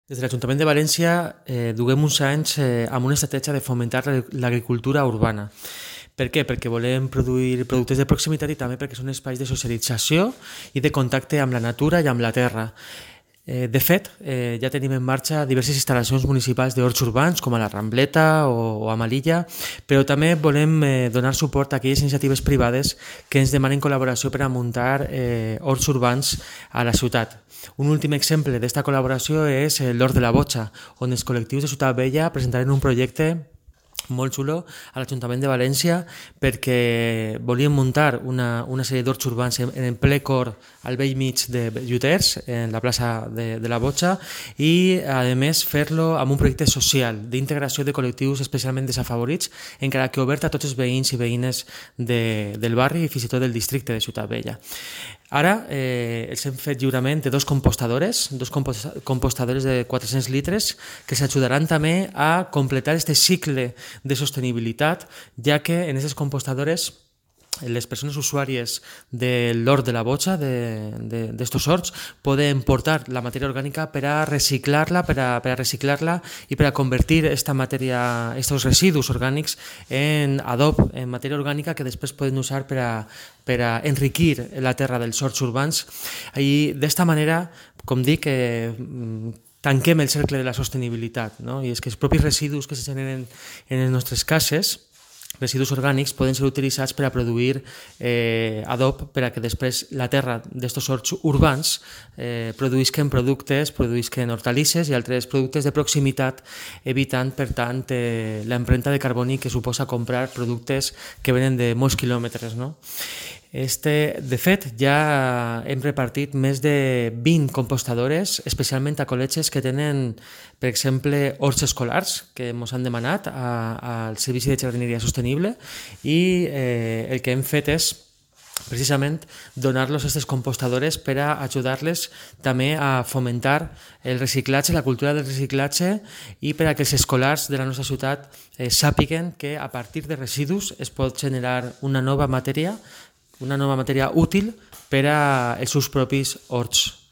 Des de l'Ajuntament de València duguem uns anys amb una estratègia de fomentar l'agricultura urbana. Per què? Perquè volem produir productes de proximitat i també perquè són espais de socialització i de contacte amb la natura i amb la terra. De fet, ja tenim en marxa diverses instal·lacions municipals d'horts urbans, com a la Rambleta o a Malilla, però també volem donar suport a aquelles iniciatives privades que ens demanen col·laboració per a muntar horts urbans a la ciutat. Un últim exemple d'esta col·laboració és l'Hort de la Botxa, on els col·lectius de Ciutat Vella presentaren un projecte molt xulo a l'Ajuntament de València perquè volien muntar una sèrie d'horts urbans en ple cor al vell mig de Lluters, en la plaça de la Botxa, i a més fer-lo amb un projecte social d'integració de col·lectius especialment desafavorits, encara que obert a tots els veïns i veïnes del barri i fins i tot del districte de Ciutat Vella. Ara els hem fet lliurament de dos compostadores de 400 litres que s'ajudaran també a completar aquest cicle de sostenibilitat, ja que en aquestes compostadores les persones usuàries de l'hort de la Botxa, d'estos horts, poden portar la matèria orgànica per a reciclar-la, i per a convertir estos residus orgànics en adob, en matèria orgànica que després poden usar per a enriquir la terra dels horts urbans. I d'esta manera, com dic, tanquem el cercle de la sostenibilitat, no? I és que els propis residus que se generen en les nostres cases, residus orgànics, poden ser utilitzats per a produir adob per a que després la terra d'estos horts urbans produïsquen hortalisses i altres productes de proximitat, evitant, per tant, l'empremta de carboni que suposa comprar productes que venen de molts quilòmetres, no? De fet, ja hem repartit més de 20 compostadores, especialment a col·legis que tenen, per exemple, horts escolars, que ens han demanat al Servici de Jardineria Sostenible, i el que hem fet és precisament donar-los aquestes compostadores per a ajudar-les també a fomentar el reciclatge, la cultura del reciclatge, i per a que els escolars de la nostra ciutat sàpiguen que a partir de residus es pot generar una nova matèria útil per als seus propis horts.